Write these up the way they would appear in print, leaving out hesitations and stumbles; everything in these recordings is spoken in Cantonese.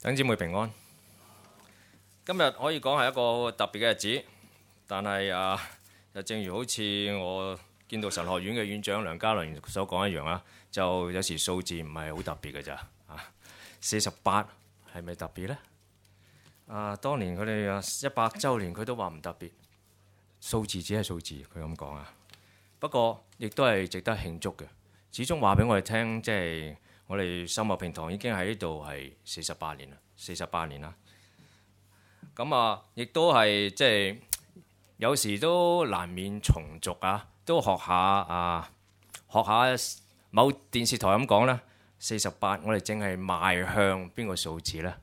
弟兄姊妹平安。今日可以講係一個特別嘅日子，但係就正如好似我見到神學院嘅院長梁家麟所講一樣啊，就有時數字唔係好特別嘅咋啊。48係咪特別呢？當年佢哋100週年，佢都話唔特別，數字只係數字，佢咁講啊。不過亦都係值得慶祝嘅，始終話俾我哋聽，即係我哋秀茂坪堂已經喺呢度係48年啦。咁亦都係即係有時都難免重俗啊，都學下某電視台咁講啦。48，我哋淨係邁向邊個數字呢？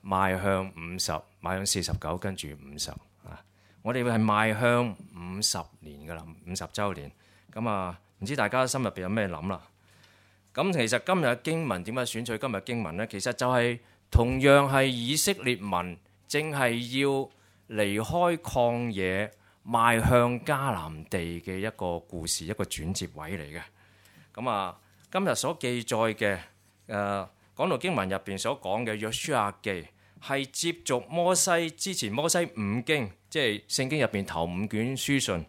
邁向50，邁向49，跟住50啊！我哋係邁向50年噶啦，50週年。咁唔知大家心入邊有咩諗啦？咁其實今日嘅經文點解選取今日經文呢？其實就係同樣係以色列民正係要離開曠野，邁向迦南地嘅一個故事，一個轉接位嚟嘅。咁今日所記載嘅講到經文入邊所講嘅約書亞記，係接續摩西之前摩西五經，即係聖經入邊頭5卷書信，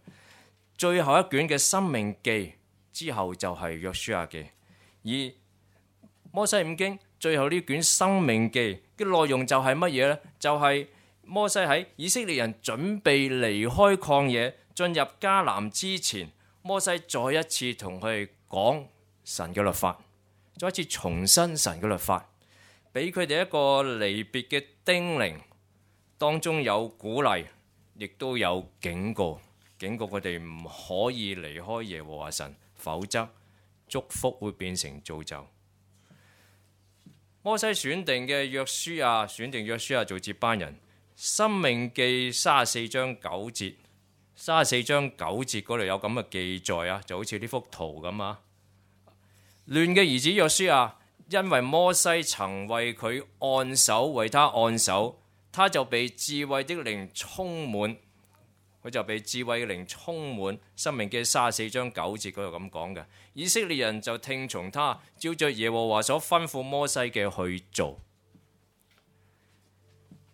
最後一卷嘅申命記之後就係約書亞記。而摩西五經最後呢卷申命記嘅內容就係乜嘢呢？就係摩西喺以色列人準備離開曠野進入迦南之前，摩西再一次同佢哋講神嘅律法，再一次重申神嘅律法，俾佢哋一個離別嘅叮嚀，當中有鼓勵，亦都有警告佢哋唔可以離開耶和華神，否則祝福會變成詛咒。摩西選定約書亞做接班人。申命記34章9節，34章9節嗰度有咁嘅記載啊，就好似呢幅圖咁啊。嫩嘅兒子約書亞，因為摩西曾為佢按手，為他按手，他就被智慧的靈充滿。申命記34章9節嗰度咁講嘅。以色列人就聽從他，照着耶和華所吩咐摩西嘅去做。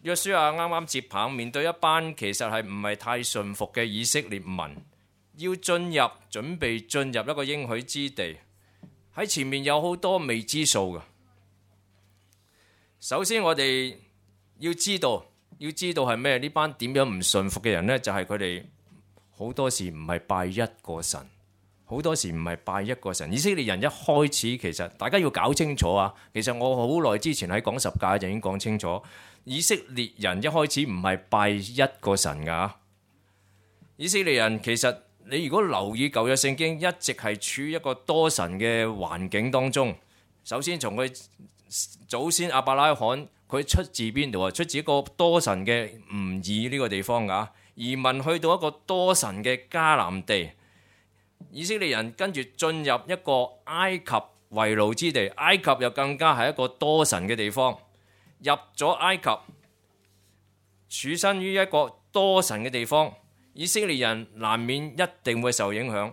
約書亞啱啱接棒，面對一班其實係唔係太順服嘅以色列民，要準備進入一個應許之地，喺前面有好多未知數嘅。首先我哋要知道係咩？呢班點樣唔順服嘅人呢？就係佢哋好多時唔係拜一個神，以色列人一開始其實大家要搞清楚啊！其實我好耐之前喺講十誡就已經講清楚。以色列人一開始唔係拜一個神㗎。以色列人其實你如果留意舊約聖經，一直係處於一個多神嘅環境當中。首先從佢祖先亞伯拉罕，佢出自邊度啊？出自一個多神嘅吾珥呢個地方㗎。移民去到一個多神嘅迦南地，以色列人跟住進入一個埃及為奴之地，埃及又更加係一個多神嘅地方。入咗埃及，處身於一個多神嘅地方，以色列人難免一定會受影響。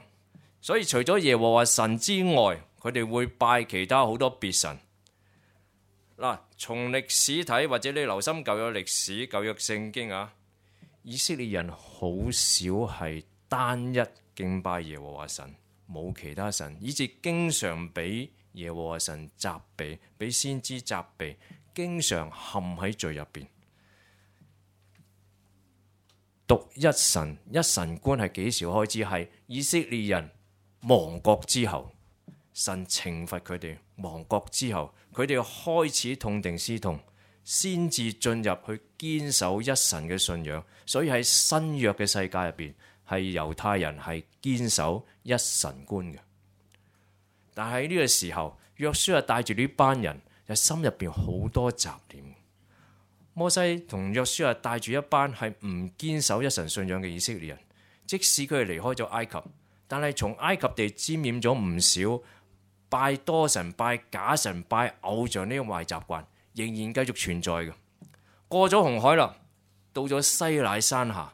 所以除咗耶和華神之外，佢哋會拜其他好多別神。從歷史睇，或者你留心舊約歷史、舊約聖經啊，以色列人好少係單一敬拜耶和華神，冇其他神，以致經常俾耶和華神責備，俾先知責備。經常陷喺罪入邊，獨一神觀係幾時開始？係以色列人亡國之後，神懲罰佢哋亡國之後，佢哋開始痛定思痛，先至進入去堅守一神嘅信仰。所以喺新約嘅世界入邊，係猶太人係堅守一神觀嘅。但係呢個時候，約書亞帶住呢班人，心入邊好多雜念。摩西同約書亞帶住一班係唔堅守一神信仰嘅以色列人，即使佢哋離開咗埃及，但係從埃及地沾染咗唔少拜多神、拜假神、拜偶像呢個壞習慣，仍然繼續存在嘅。過咗紅海啦，到咗西乃山下，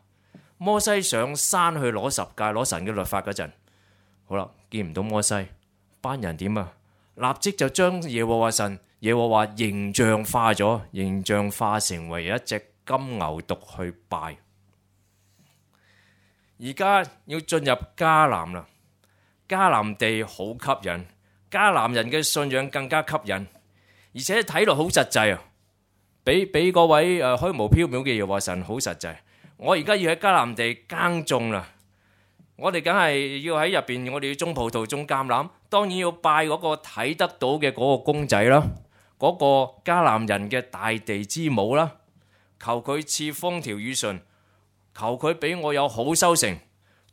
摩西上山去攞十誡、攞神嘅律法嗰陣，好啦，見唔到摩西，班人點啊？立即就將耶和華耶和華形象化咗，形象化成為一隻金牛犢去拜。而家要進入迦南啦，迦南地好吸引，迦南人嘅信仰更加吸引，而且睇落好實際啊！俾各位虛無縹緲嘅耶和華神好實際。我而家要喺迦南地耕種啦，我哋梗係要喺入邊，我哋要種葡萄、種橄欖，當然要拜嗰個睇得到嘅嗰個公仔啦，嗰個迦南人嘅大地之母啦，求佢賜風調雨順，求佢俾我有好收成，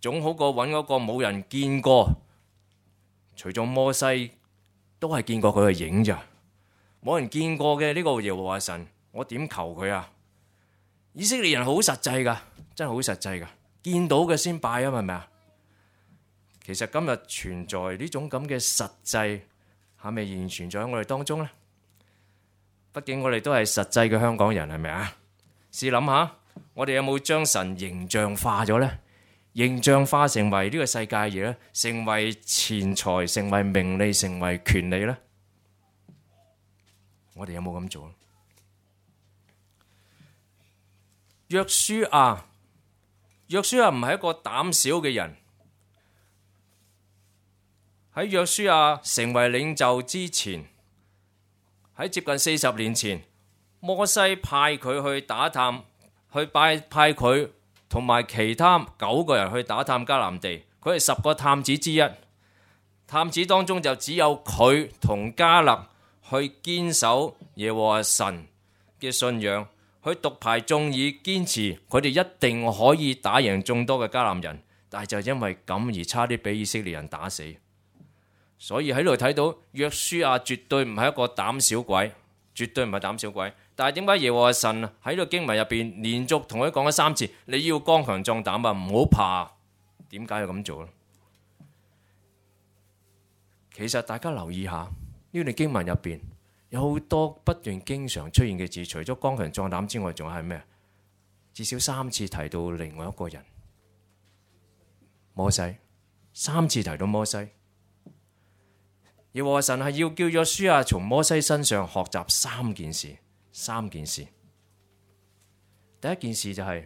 總好過揾嗰個冇人見過，除咗摩西都係見過佢嘅影咋，冇人見過嘅呢個耶和華神，我點求佢啊？以色列人好實際噶，真係好實際噶，見到嘅先拜啊，係咪啊？其實今日存在呢種咁嘅實際，係咪仍然存在喺我哋當中呢？畢竟我哋都係實際嘅香港人，係咪啊？試諗下，我哋有冇將神形象化咗呢？形象化成為呢個世界嘢呢？成為錢財，成為名利，成為權利呢？我哋有冇咁做？約書亞唔係一個膽小嘅人。喺約書亞成為領袖之前，喺接近40年前，摩西派佢去打探，派佢同埋其他9個人去打探迦南地。佢係10個探子之一，探子當中就只有佢同迦勒去堅守耶和華神嘅信仰。佢獨排眾議，堅持佢哋一定可以打贏眾多嘅迦南人，但係就因為咁而差啲俾以色列人打死。所以喺度睇到約書亞絕對唔係一個膽小鬼，絕對唔係膽小鬼。但係點解耶和華神喺呢個經文入邊連續同佢講咗3次，你要剛強壯膽啊，唔好怕。點解要咁做呢？其實大家留意下呢段經文入邊，有好多不斷經常出現嘅字，除咗剛強壯膽之外，仲係咩？至少3次提到另外一個人，摩西，3次提到摩西。耶和華神係要叫約書亞從摩西身上學習3件事。第一件事就係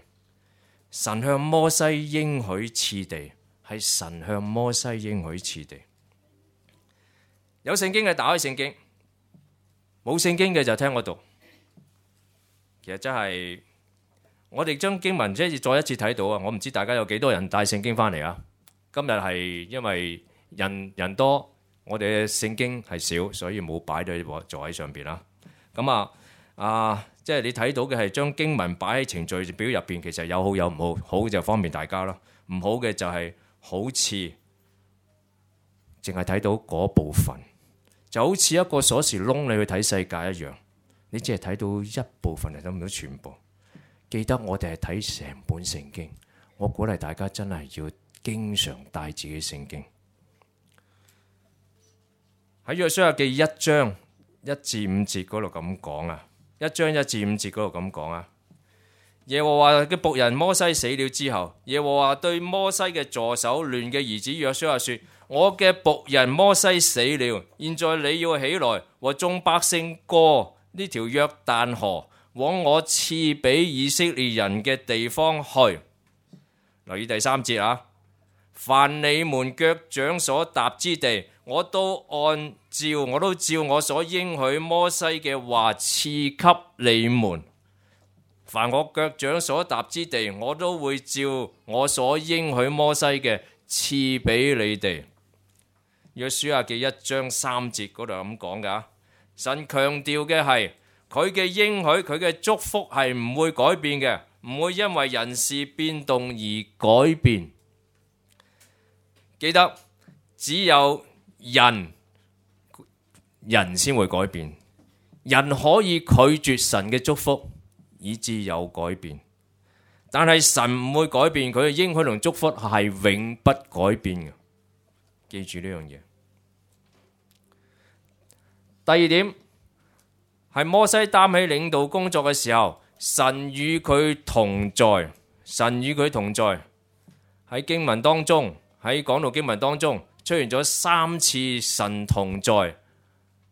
神向摩西應許賜地，係神向摩西應許賜地。有聖經嘅打開聖經。冇聖經嘅就聽我讀，其實真係我哋將經文再一次睇到啊！我唔知大家有幾多人帶聖經翻嚟啊？今日係因為人多，我哋嘅聖經係少，所以冇擺喺座位上邊啦。咁即係你睇到嘅係將經文擺喺程序表入邊，其實有好有唔好，好就方便大家咯，唔好嘅就係好似淨係睇到嗰部分。就好似一個鎖匙窿，你去睇世界一樣，你只係睇到一部分，睇唔到全部。記得我哋係睇成本聖經，我鼓勵大家真係要經常帶自己聖經。喺約書亞記1章1至5節嗰度咁講啊，1章1至5節嗰度咁講啊。耶和華嘅僕人摩西死了之後，耶和華對摩西嘅助手亂嘅兒子約書亞說：我嘅僕人摩西死了，現在你要起來和眾百姓過呢條約旦河，往我賜俾以色列人嘅地方去。留意第3節啊，凡你們腳掌所踏之地，我都照我所應許摩西嘅話賜給你們。凡我腳掌所踏之地，我都會照我所應許摩西嘅賜俾你哋。約書亞記1章3節嗰度咁講噶，神強調嘅係佢嘅應許，佢嘅祝福係唔會改變嘅，唔會因為人事變動而改變。記得只有人先會改變，人可以拒絕神嘅祝福，以致有改變，但係神唔會改變，佢嘅應許同祝福係永不改變嘅。記住呢樣嘢。第2點係摩西擔起領導工作嘅時候，神與佢同在。神與佢同在喺經文當中，喺講道經文當中出現咗3次神同在，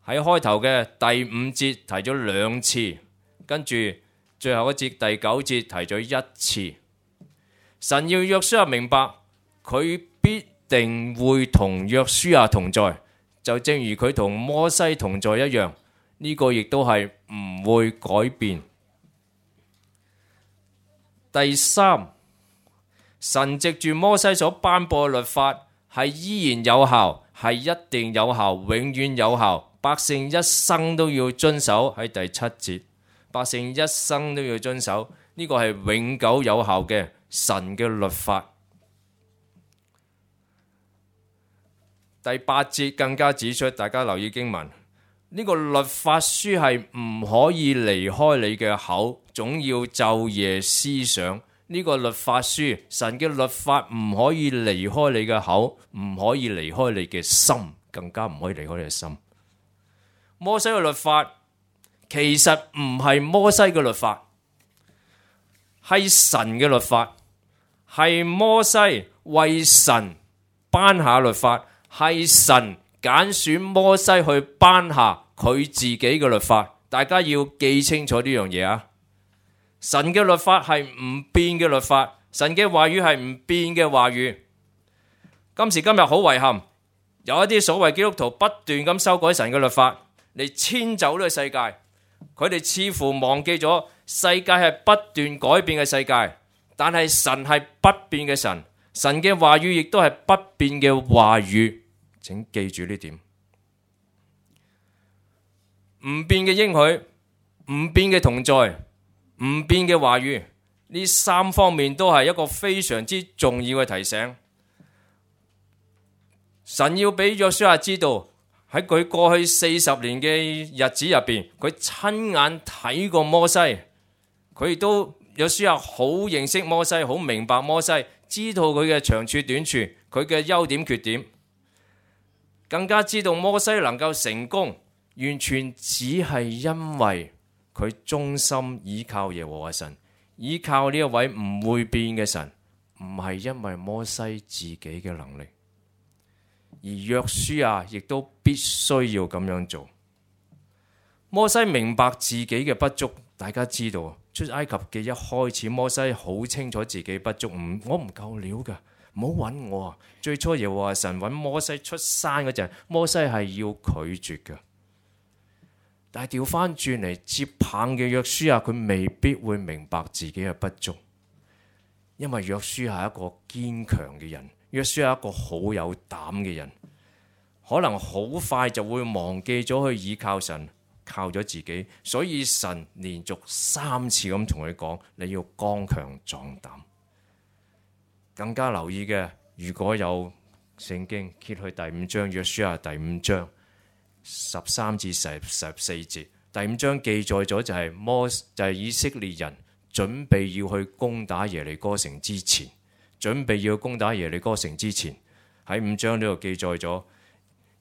喺開頭嘅第五節提咗兩次，跟住最後一節第九節提咗一次。神要約書亞明白，佢必定會同約書亞同在，就正如佢同摩西同在一樣，呢個亦都係唔會改變。第三，神藉住摩西所頒布嘅律法係依然有效，係一定有效，永遠有效，百姓一生都要遵守。喺第七節，百姓一生都要遵守，呢個係永久有效嘅神嘅律法。第八節更加指出，大家留意經文，呢個律法書係唔可以離開你嘅口，總要晝夜思想。呢個律法書，神嘅律法唔可以離開你嘅口，唔可以離開你嘅心，更加唔可以離開你嘅心。摩西嘅律法其實唔係摩西嘅律法，係神嘅律法，係摩西為神頒下律法，係神揀選摩西去頒下佢自己嘅律法。大家要記清楚呢樣嘢啊！神嘅律法係唔變嘅律法，神嘅話語係唔變嘅話語。今時今日好遺憾，有一啲所謂基督徒不斷咁修改神嘅律法嚟遷就呢個世界，佢哋似乎忘記咗世界係不斷改變嘅世界，但係神係不變嘅神，神嘅話語亦都係不變嘅話語，請記住呢點。唔變嘅應許，唔變嘅同在，唔變嘅話語，呢三方面都係一個非常之重要嘅提醒。神要俾約書亞知道，喺佢過去40年嘅日子入邊，佢親眼睇過摩西，佢亦都約書亞好認識摩西，好明白摩西，知道佢嘅長處短處，佢嘅優點缺點，更加知道摩西能夠成功，完全只係因為佢忠心倚靠耶和華神，倚靠呢一位唔會變嘅神，唔係因為摩西自己嘅能力。而約書亞亦都必須要咁樣做。摩西明白自己嘅不足，大家知道出埃及記一開始，摩西好清楚自己不足，我唔夠料㗎，唔好揾我啊！最初耶和華神揾摩西出山嗰陣，摩西係要拒絕㗎。但係調翻轉嚟接棒嘅約書亞，佢未必會明白自己嘅不足，因為約書亞係一個堅強嘅人，約書亞係一個好有膽嘅人，可能好快就會忘記咗去倚靠神，靠咗自己，所以神連續3次咁同佢講，你要剛強壯膽。更加留意嘅，如果有聖經揭去第5章，約書亞第5章13至14節，第5章記載咗就係以色列人準備要去攻打耶利哥城之前，喺5章呢度記載咗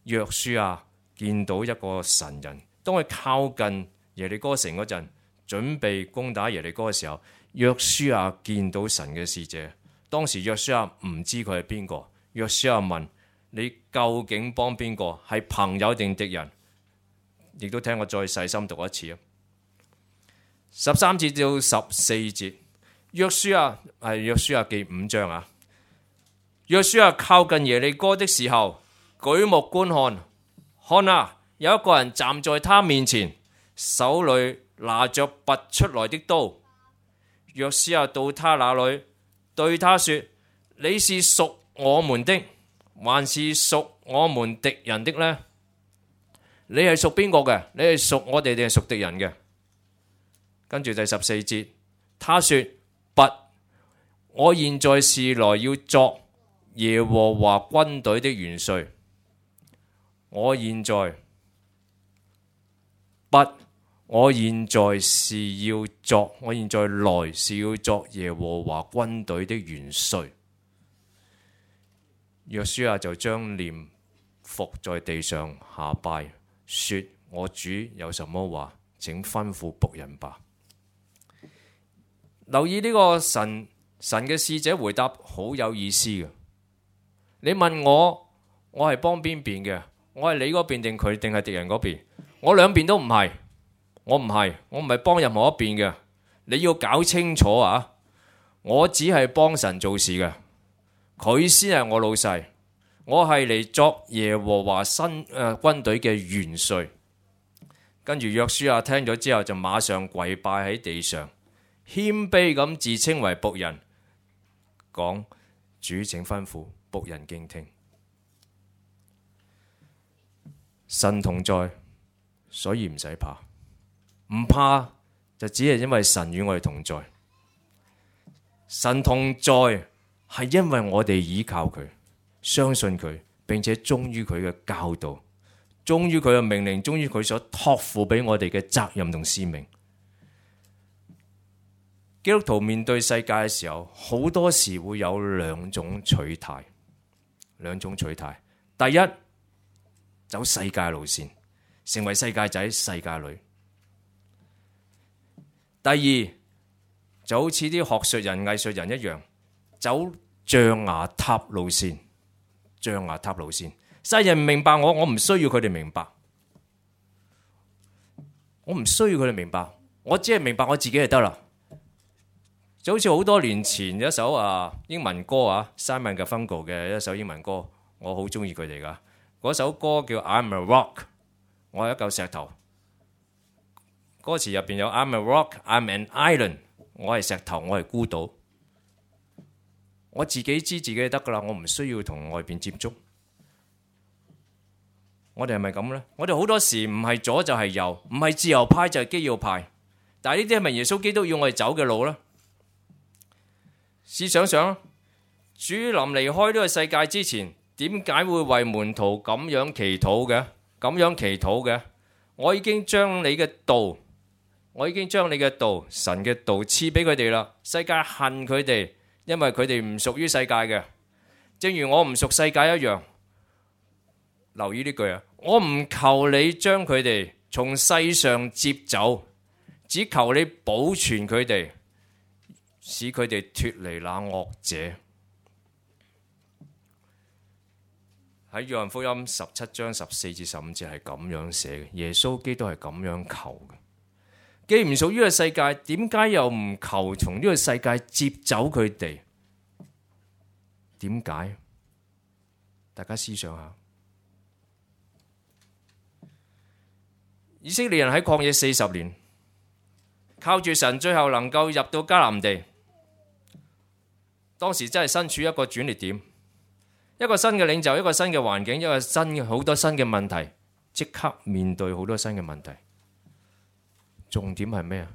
約書亞見到一個神人，當佢靠近耶利哥城嗰陣，準備攻打耶利哥嘅時候，約書亞見到神嘅使者。當時約書亞唔知佢係邊個，約書亞問，你究竟幫邊個？係朋友定敵人？亦都聽我再細心讀一次啊！13節到14節，約書亞記5章啊。約書亞靠近耶利哥的時候，舉目觀看，看啊，有一個人站在他面前，手裏拿着拔出來的刀。約書亞到他那裏，對他說：你是屬我們的，還是屬我們敵人的呢？你係屬邊個嘅？你係屬我哋定係屬敵人嘅？跟住第14節，他說：不，我現在是來要作耶和華軍隊的元帥。我現在來是要作耶和華軍隊的元帥。約書亞就將臉伏在地上下拜，說：我主有什麼話，請吩咐僕人吧。留意呢個神嘅使者回答好有意思嘅。你問我係幫邊邊嘅？我係你嗰邊定佢定係敵人嗰邊？我兩邊都唔係，我唔係幫任何一邊嘅。你要搞清楚啊！我只係幫神做事嘅，佢先係我老細。我係嚟作耶和華軍隊嘅元帥。跟住約書亞聽咗之後就馬上跪拜喺地上，謙卑咁自稱為僕人，講：主請吩咐，僕人敬聽。神同在，所以唔使怕，唔怕就只係因為神與我哋同在。神同在係因為我哋依靠佢，相信佢，並且忠於佢嘅教導，忠於佢嘅命令，忠於佢所託付俾我哋嘅責任同使命。基督徒面對世界嘅時候，好多時會有兩種取態。第一，走世界路線，成為世界仔，世界女。第二，就好似啲學術人、藝術人一樣，走象牙塔路線。世人唔明白我唔需要佢哋明白。我唔需要佢哋明白，我只係明白我自己就得啦。就好似好多年前有一首英文歌Simon Garfunkel 嘅一首英文歌，我好中意佢哋噶。嗰首歌叫 I'm a Rock， 我係一嚿石頭。歌詞入邊有 I'm a Rock, I'm an Island， 我係石頭，我係孤島。我自己知自己就得噶啦，我唔需要同外邊接觸。我哋係咪咁呢？我哋好多時唔係左就係右，唔係自由派就係基要派。但係呢啲係咪耶穌基督要我哋走嘅路呢？試想想，主臨離開呢個世界之前，點解會為門徒咁樣祈禱嘅？我已經將你嘅道，神嘅道賜俾佢哋啦。世界恨佢哋，因為佢哋唔屬於世界嘅，正如我唔屬世界一樣。留意呢句我唔求你將佢哋從世上接走，只求你保存佢哋，使佢哋脫離那惡者。喺約翰福音17章14至15節係咁樣寫嘅，耶穌基督係咁樣求嘅。既唔屬於個世界，點解又唔求從呢個世界接走佢哋？點解？大家思想下。以色列人喺曠野40年，靠住神，最後能夠入到迦南地。當時真係身處一個轉捩點，一個新嘅領袖，一個新嘅環境，一個好多新嘅問題，即刻面對好多新嘅問題。重點係咩啊？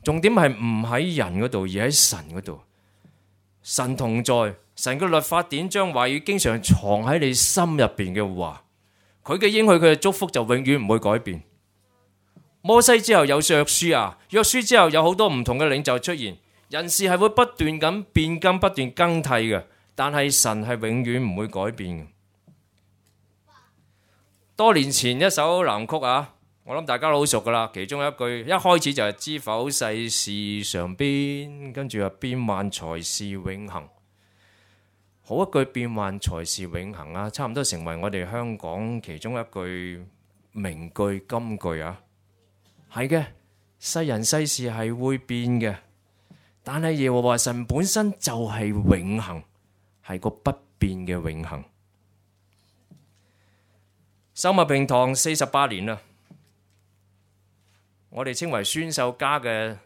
重點係唔喺人嗰度，而喺神嗰度。神同在，神嘅律法典章話語經常藏喺你心入邊嘅話，佢嘅應許，佢嘅祝福就永遠唔會改變。摩西之後有約書亞，約書之後有好多唔同嘅領袖出現，人事係會不斷咁變更，不斷更替嘅，但係神係永遠唔會改變嘅。多年前一首藍曲我諗大家都好熟噶啦，其中一句一開始就係知否世事常變，跟住變幻才是永恆。好一句變幻才是永恆差唔多成為我哋香港其中一句名句金句係嘅，世人世事係會變嘅，但係耶和華神本身就係永恆，係個不變嘅永恆。秀茂坪堂48年啦，我哋稱為宣秀家嘅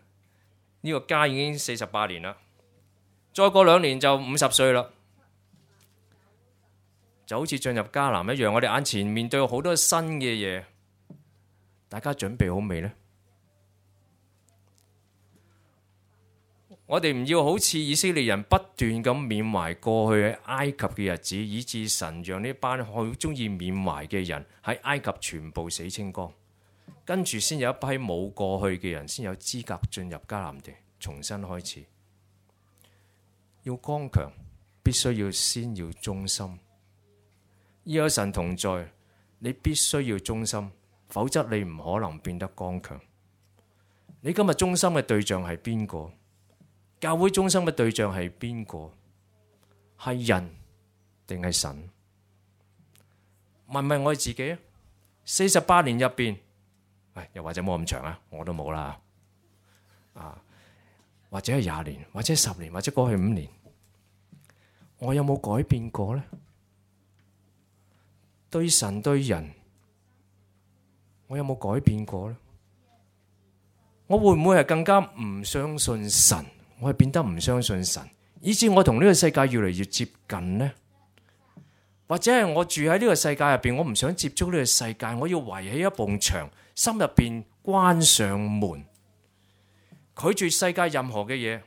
呢個家已經48年啦，再過2年就50歲啦，就好似進入迦南一樣，我哋眼前面對好多新嘅嘢。大家準備好未呢？我哋唔要好似以色列人不斷咁緬懷過去喺埃及嘅日子，以致神讓呢班好中意緬懷嘅人喺埃及全部死清光，跟住先有一批冇過去嘅人先有資格進入迦南地，重新開始。要剛強，必須先要忠心。要有神同在，你必須要忠心。否則你唔可能變得剛強。你今日忠心嘅對象係邊個？教會忠心嘅對象係邊個？係人定係神？問問我哋自己啊，48年入邊，又或者冇咁長啊，我都冇啦，或者係20年，或者10年，或者過去5年，我有冇改變過呢？對神對人，我有冇改變過呢？我會唔會係更加唔相信神？我係變得唔相信神，以致我同呢個世界越嚟越接近呢？或者係我住喺呢個世界入邊，我唔想接觸呢個世界，我要圍起一埲牆，心入邊關上門，拒絕世界任何嘅嘢。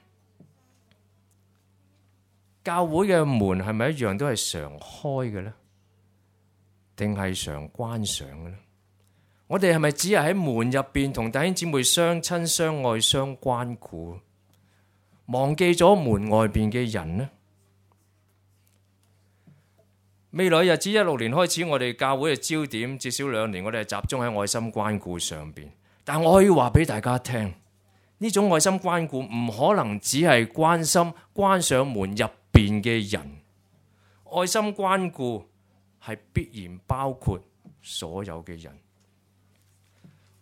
教會嘅門係咪一樣都係常開嘅呢？定係常關上嘅呢？我哋係咪只係喺門入邊同弟兄姊妹相親相愛相關顧，忘記咗門外邊嘅人呢？未來日子16年開始，我哋教會嘅焦點至少2年，我哋係集中喺愛心關顧上邊。但我可以話俾大家聽，呢種愛心關顧唔可能只係關心關上門入邊嘅人，愛心關顧係必然包括所有嘅人。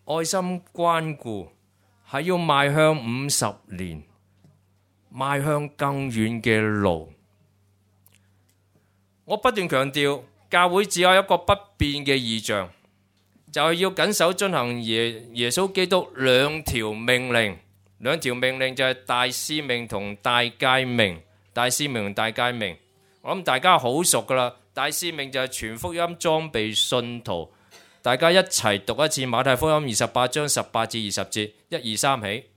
愛心關顧係要邁向50年，邁向更遠嘅路。我不斷強調，教會只有一個不變嘅異象，就係要謹守遵行耶穌基督2條命令。2條命令就係大使命同大誡命。大使命同大誡命，我諗大家好熟噶啦。大使命就係傳福音裝備信徒。大家一齊讀一次馬太福音28章18至20節，1、2、3起。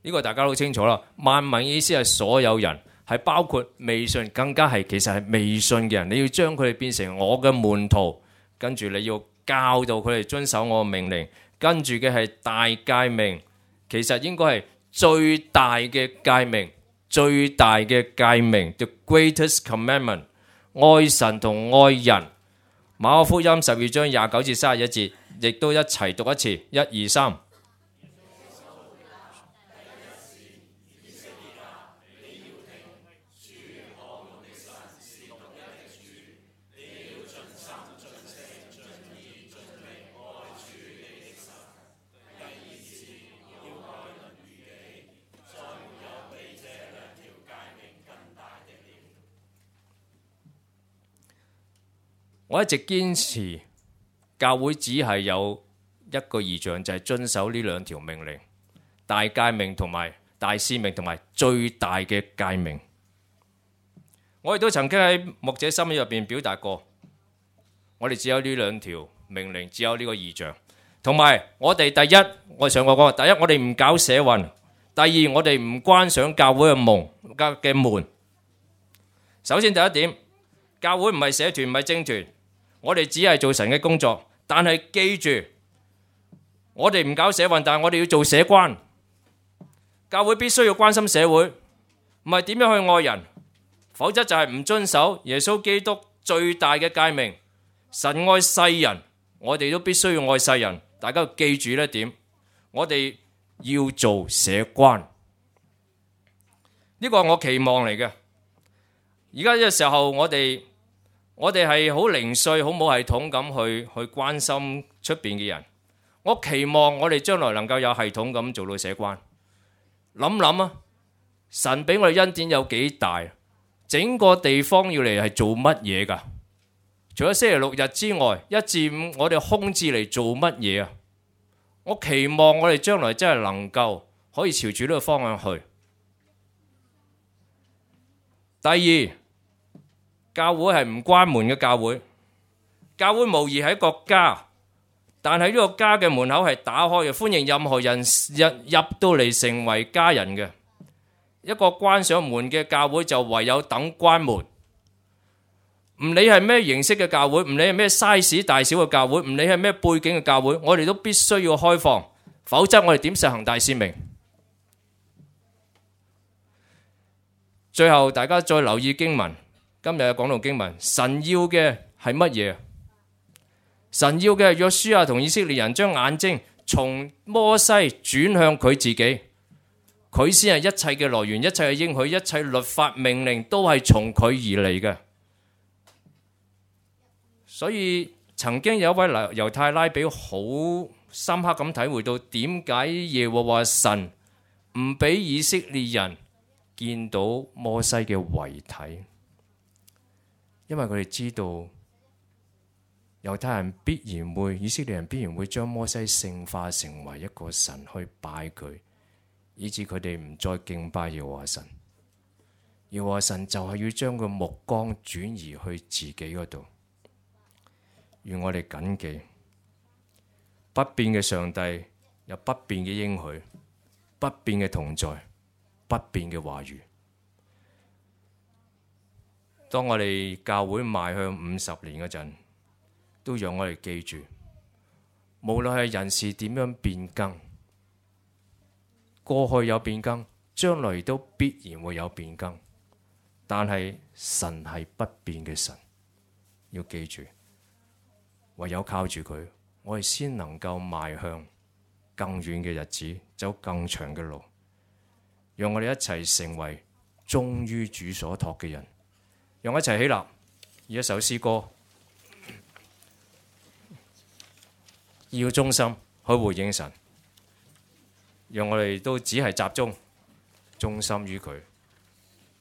呢個大家都清楚啦。萬民意思係所有人，係包括未信，更加係其實係未信嘅人。你要將佢哋變成我嘅門徒，跟住你要教導佢哋遵守我嘅命令。跟住嘅係大誡命，其實應該係最大嘅誡命，最大嘅誡命 ，the greatest commandment， 愛神同愛人。馬可福音12章29至31節，亦都一齊讀一次，1、2、3。我一直堅持教會只係有一個異象，就係遵守呢2條命令，大誡命同埋大使命同埋最大嘅誡命。我亦都曾經喺牧者心意入邊表達過，我哋只有呢2條命令，只有呢個異象。同埋我哋第一，我上過講，第一我哋唔搞社運，第二我哋唔關上教會嘅門。首先第一點，教會唔係社團，唔係政團。我哋只係做神嘅工作，但係記住，我哋唔搞社運，但係我哋要做社關。教會必須要關心社會，唔係點樣去愛人，否則就係唔遵守耶穌基督最大嘅誡命。神愛世人，我哋都必須要愛世人。大家要記住呢一點，我哋要做社關，呢個係我期望嚟嘅。而家呢個時候，我哋係好零碎、好冇系統咁去關心出邊嘅人。我期望我哋將來能夠有系統咁做到社關。諗諗啊，神俾我哋恩典有幾大？整個地方要嚟係做乜嘢㗎？除咗星期6日之外，1至5我哋空置嚟做乜嘢啊？我期望我哋將來真係能夠可以朝住呢個方向去。第二，教會係唔關門嘅教會，教會無疑係一個家，但係呢個家嘅門口係打開嘅，歡迎任何人入到嚟成為家人嘅。一個關上門嘅教會就唯有等關門。唔理係咩形式嘅教會，唔理係咩 size 大小嘅教會，唔理係咩背景嘅教會，我哋都必須要開放，否則我哋點實行大使命？最後大家再留意經文，今日講到經文，神要嘅係乜嘢？神要嘅係約書亞同以色列人將眼睛從摩西轉向佢自己，佢先係一切嘅來源，一切嘅應許，一切律法命令都係從佢而嚟嘅。所以曾經有一位猶太拉比好深刻咁體會到點解耶和華神唔俾以色列人見到摩西嘅遺體，因為佢哋知道猶太人必然會，以色列人必然會將摩西聖化成為一個神去拜佢，以致佢哋唔再敬拜耶和華神。耶和華神就係要將個目光轉移去自己嗰度。願我哋謹記，不變嘅上帝有不變嘅應許，不變嘅同在，不變嘅話語。當我哋教會邁向50年嗰陣，都讓我哋記住，無論係人事點樣變更，過去有變更，將來都必然會有變更。但係神係不變嘅神，要記住。唯有靠住佢，我哋先能夠邁向更遠嘅日子，走更長嘅路。讓我哋一齊成為忠於主所託嘅人。讓我一齊起立，以一首詩歌，要忠心去回應神。讓我哋都只係集中忠心於佢。